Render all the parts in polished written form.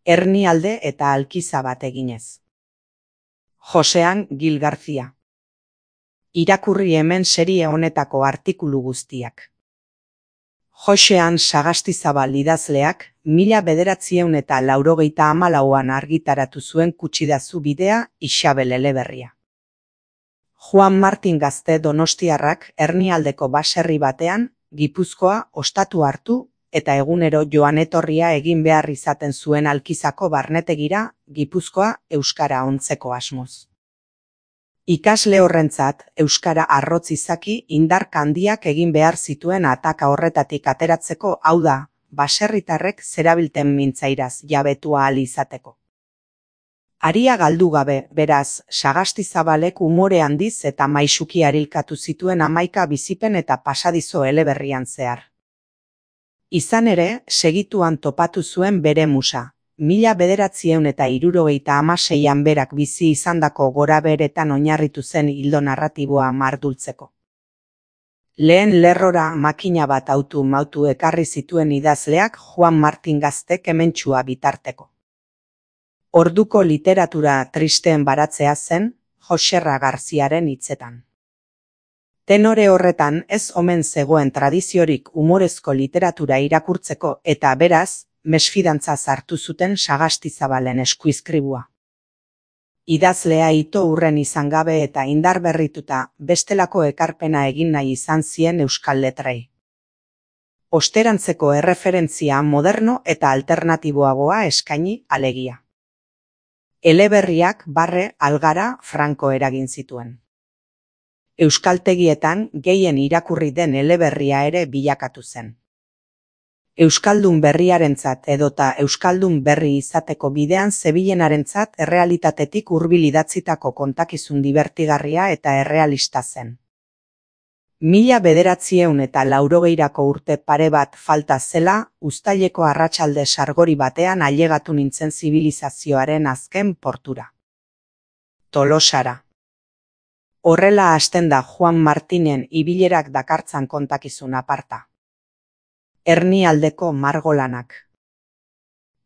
Hernialde eta alkiza bat eginez. Josean Gil Garcia. Irakurri hemen serie honetako artikulu guztiak. Josean Sagastizabal idazleak 1984an argitaratu zuen Kutsidazu bidea Isabel eleberria. Juan Martin Gazte donostiarrak Hernialdeko baserri batean, Gipuzkoa ostatu hartu eta egunero joan etorria egin behar izaten zuen alkizako barnetegira, Gipuzkoa euskara ontzeko asmoz. Ikasle horrentzat, euskara arrotz izaki indar handiak egin behar zituen ataka horretatik ateratzeko, hau da, baserritarrek zerabilten mintzairaz jabetu ahal izateko. Aria galdu gabe, beraz, Sagastizabalek umore handiz eta maisuki arilkatu zituen 11 bizipen eta pasadizo eleberrian zehar. Izan ere, segituan topatu zuen bere musa. 1976an berak bizi izandako gorabeheretan oinarritu zen ildo narratiboa mardultzeko. Lehen lerrora makina bat autu ekarri zituen idazleak Juan Martin Gaztek hementsua bitarteko. Orduko literatura tristeen baratzea zen, Joserra Garziaren hitzetan. Tenore horretan ez omen zegoen tradiziorik umorezko literatura irakurtzeko eta beraz, mesfidantza sartu zuten Sagastizabalen eskuizkribua. Idazlea ito hurren izan gabe eta indar berrituta bestelako ekarpena egin nahi izan zien euskal letrei. Osterantzeko erreferentzia moderno eta alternatiboagoa eskaini alegia. Eleberriak Barre, Algara, Franco eragin zituen. Euskaltegietan gehien irakurri den eleberria ere bilakatu zen. Euskaldun berriarentzat edota euskaldun berri izateko bidean zebilenarentzat errealitatetik hurbil idatzitako kontakizun dibertigarria eta errealista zen. 1980ko urte pare bat falta zela, uztaileko arratsalde sargori batean ailegatu nintzen zibilizazioaren azken portura. Tolosara. Horrela hasten da Juan Martinen ibilerak dakartzan kontakizun aparta. Hernialdeko margolanak.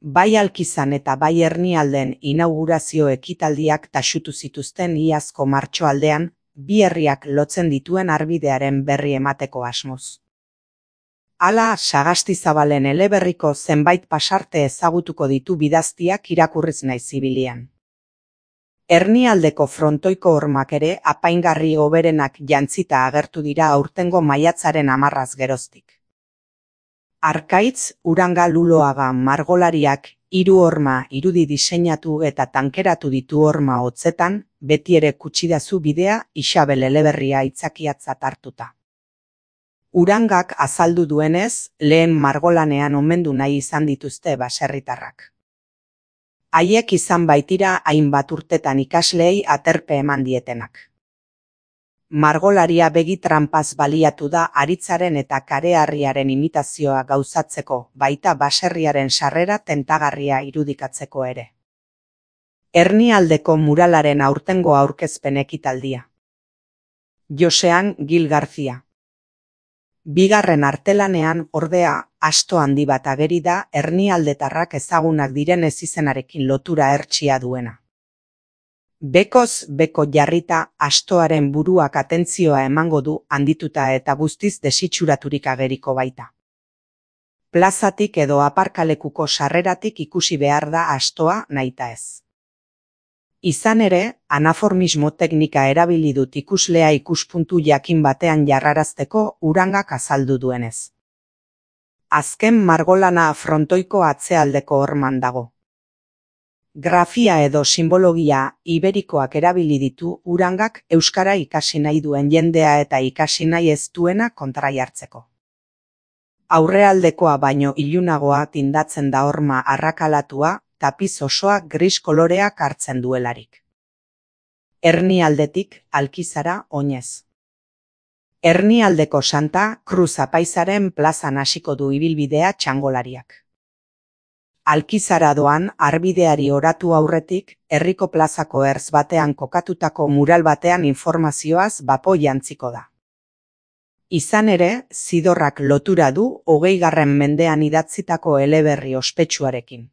Bai Alkizan eta bai Hernialden inaugurazio ekitaldiak taxutu zituzten iazko martxoaldean, bi herriak lotzen dituen arbidearen berri emateko asmoz. Hala, Sagastizabalen eleberriko zenbait pasarte ezagutuko ditu bidaztiak irakurriz naiz zibilian. Hernialdeko frontoiko hormak ere apaingarri hoberenak jantzita agertu dira aurtengo maiatzaren 10 geroztik. Arkaitz, Uranga Luloaga margolariak 3 horma irudi diseinatu eta tankeratu ditu horma hotzetan, beti ere Kutsidazu bidea Isabel eleberria aitzakiatzat hartuta. Urangak azaldu duenez, lehen margolanean omendu nahi izan dituzte baserritarrak. Haiek izan baitira hainbat urtetan ikasleei aterpe eman dietenak. Margolaria begi tranpaz baliatu da aritzaren eta kareharriaren imitazioa gauzatzeko, baita baserriaren sarrera tentagarria irudikatzeko ere. Hernialdeko muralaren aurtengo aurkezpen ekitaldia. Josean Gil Garcia. Bigarren artelanean, ordea, asto handi bat ageri da hernialdetarrak ezagunak diren ezizenarekin lotura hertsia duena. Bekoz beko jarrita astoaren buruak atentzioa emango du handituta eta guztiz desitxuraturik ageriko baita. Plazatik edo aparkalekuko sarreratik ikusi behar da astoa nahita ez. Izan ere, anaformismo teknika erabili dut ikuslea ikuspuntu jakin batean jarrarazteko Urangak azaldu duenez. Azken margolana frontoiko atzealdeko horman dago. Grafia edo simbologia iberikoak erabili ditu Urangak euskara ikasi nahi duen jendea eta ikasi nahi ez duena kontraihartzeko. Aurrealdekoa baino ilunagoa tindatzen da horma arrakalatua, tapiz osoa gris koloreak hartzen duelarik. Hernialdetik Alkizara oinez. Hernialdeko Santa Cruz apaizaren plazan hasiko du ibilbidea txangolariak. Alkizara doan arbideari oratu aurretik, herriko plazako ertz batean kokatutako mural batean informazioaz bapo jantziko da. Izan ere, zidorrak lotura du 20. mendean idatzitako eleberri ospetsuarekin.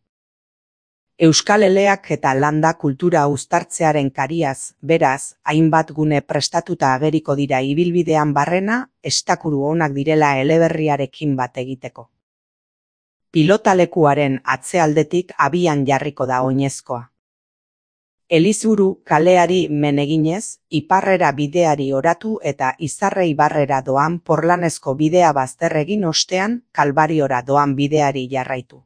Euskal Eleak eta landa kultura uztartzearen kariaz, beraz, hainbat gune prestatuta ageriko dira ibilbidean barrena, estakuru onak direla eleberriarekin bat egiteko. Pilotalekuaren atzealdetik abian jarriko da oinezkoa. Elizburu kaleari men eginez, iparrera bideari oratu eta Izarre ibarrera doan porlanezko bidea bazter egin ostean, Kalbariora doan bideari jarraitu.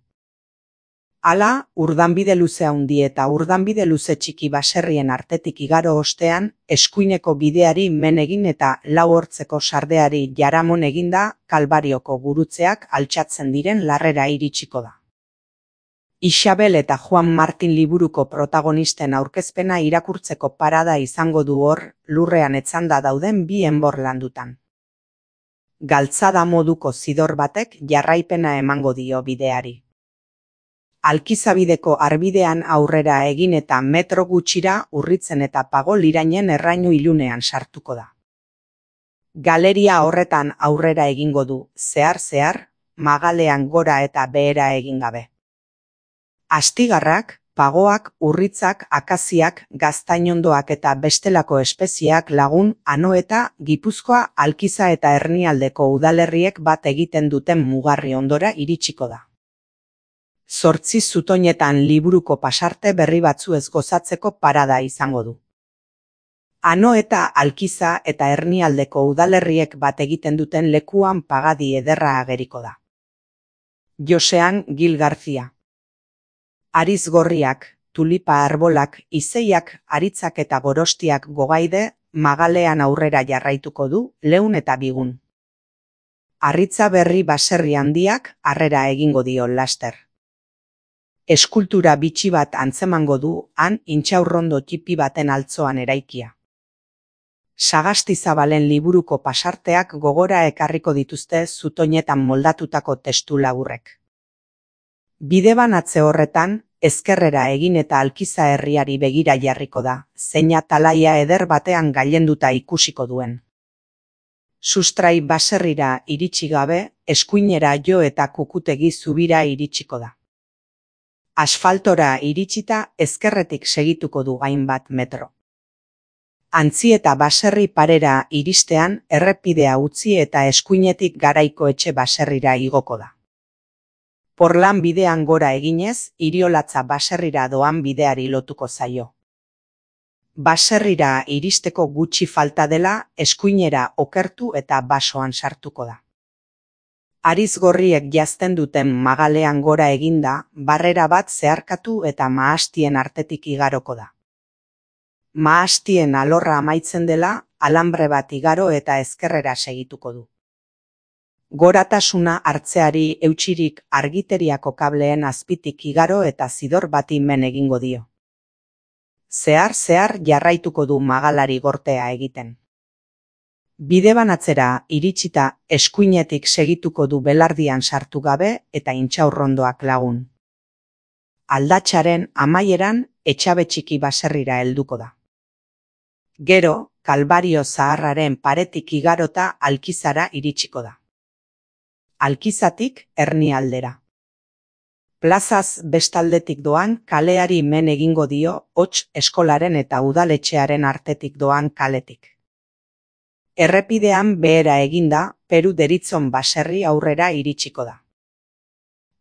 Hala, urdanbide luze handi eta urdanbide luze txiki baserrien artetik igaro ostean, eskuineko bideari men egin eta lau hortzeko sardeari jaramon eginda, Kalbarioko gurutzeak altxatzen diren larrera iritsiko da. Isabel eta Juan Martin liburuko protagonisten aurkezpena irakurtzeko parada izango du hor, lurrean etzanda dauden bi enbor landutan. Galtzada moduko zidor batek jarraipena emango dio bideari. Alkizabideko arbidean aurrera egin eta metro gutxira urritzen eta Pagol irainen errainu ilunean sartuko da. Galeria horretan aurrera egingo du, zehar, magalean gora eta behera egin gabe. Astigarrak, pagoak, urritzak, akaziak, gaztainondoak eta bestelako espezieak lagun, Anoeta, Gipuzkoa, Alkiza eta Hernialdeko udalerriek bat egiten duten mugarri ondora iritsiko da. 8 zutoinetan liburuko pasarte berri batzuez gozatzeko parada izango du. Anoeta, Alkiza eta Hernialdeko udalerriek bat egiten duten lekuan pagadi ederra ageriko da. Josean Gil García. Ariz gorriak, tulipa arbolak, izeiak, aritzak eta gorostiak gogaide, magalean aurrera jarraituko du, Leun eta Bigun. Arritza berri baserri handiak harrera egingo dio laster. Eskultura bitxi bat antzemango du, han intxaurrondo txipi baten altzoan eraikia. Sagastizabalen liburuko pasarteak gogora ekarriko dituzte zutoinetan moldatutako testu laburrek. Bidebanatze horretan, ezkerrera egin eta Alkiza herriari begira jarriko da, zeina talaia eder batean gailenduta ikusiko duen. Sustrai baserrira iritsi gabe, eskuinera jo eta Kukutegi zubira iritsiko da. Asfaltora iritsita ezkerretik segituko du hainbat metro. Antzi eta baserri parera iristean errepidea utzi eta eskuinetik Garaiko etxe baserrira igoko da. Porlan bidean gora eginez, Iriolatza baserrira doan bideari lotuko zaio. Baserrira iristeko gutxi falta dela, eskuinera okertu eta basoan sartuko da. Ariz gorriek jazten duten magalean gora eginda, barrera bat zeharkatu eta mahastien artetik igaroko da. Mahastien alorra amaitzen dela, alambre bat igaro eta ezkerrera segituko du. Goratasuna hartzeari eutsirik argiteriako kableen azpitik igaro eta zidor bati men egingo dio. Zehar jarraituko du magalari gortea egiten. Bidebanatzera iritsita eskuinetik segituko du belardian sartu gabe eta intxaurrondoak lagun. Aldatxaren amaieran etxabe txiki baserrira helduko da. Gero, Kalbario zaharraren paretik igarota Alkizara iritsiko da. Alkizatik Hernialdera. Plazaz bestaldetik doan kaleari men egingo dio hots eskolaren eta udaletxearen artetik doan kaletik. Errepidean behera eginda, Peru deritzon baserri aurrera iritsiko da.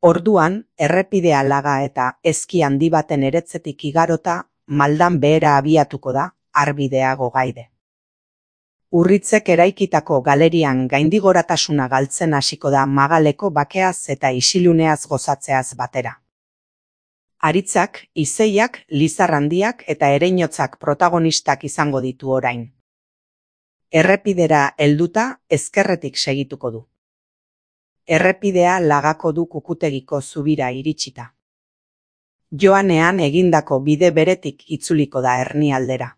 Orduan, errepidea laga eta ezki handi baten eretzetik igarota, maldan behera abiatuko da, arbidea gogaide. Urritzek eraikitako galerian gaindigoratasuna galtzen hasiko da magaleko bakeaz eta isiluneaz gozatzeaz batera. Aritzak, izeiak, lizar handiak eta ereinotzak protagonistak izango ditu orain. Errepidera helduta ezkerretik segituko du. Errepidea lagako du Kukutegiko zubira iritsita. Joanean egindako bide beretik itzuliko da Hernialdera.